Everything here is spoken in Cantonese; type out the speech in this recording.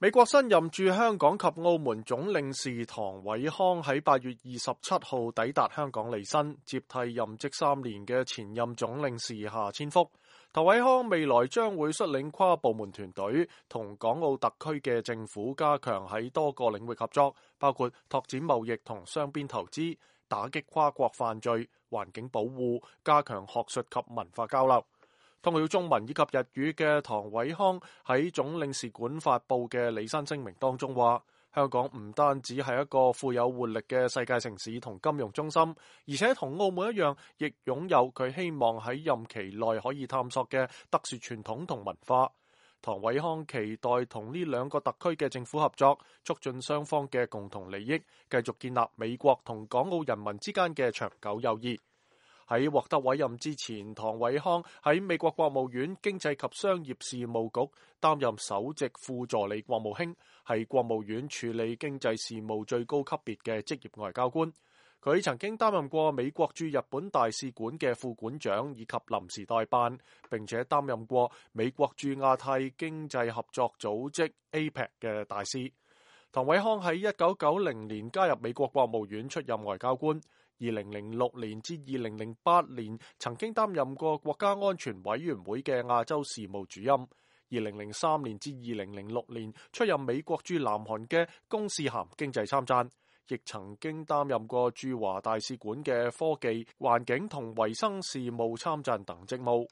美國新任駐香港及澳門總領事唐偉康喺8月27號抵達香港履新，接替任職3年嘅前任總領事夏千福。唐偉康未來將會率領跨部門團隊，同港澳特區嘅政府加強喺多個領域合作，包括拓展貿易同雙邊投資、打擊跨國犯罪、環境保護、加強學術及文化交流。通曉中文以及日語嘅唐偉康喺總領事館發佈嘅履新聲明當中話，香港唔單止係一個富有活力嘅世界城市同金融中心，而且同澳門一樣，亦擁有佢希望喺任期內可以探索嘅特殊傳統同文化。唐偉康期待同呢兩個特區嘅政府合作，促進雙方嘅共同利益，繼續建立美國同港澳人民之間嘅長久友誼。喺獲得委任之前，唐偉康喺美國國務院經濟及商業事務局擔任首席副助理國務卿，係國務院處理經濟事務最高級別嘅職業外交官。佢曾經擔任過美國駐日本大使館嘅副館長以及臨時代辦，並且擔任過美國駐亞太經濟合作組織 APEC 嘅大使。唐偉康喺1990年加入美國國務院出任外交官。2006年至2008年曾經擔任過國家安全委員會嘅亞洲事務主任。2003年至2006年出任美國駐南韓嘅公使銜經濟參贊，亦曾經擔任過駐華大使館嘅科技、環境同衛生事務參贊等職務。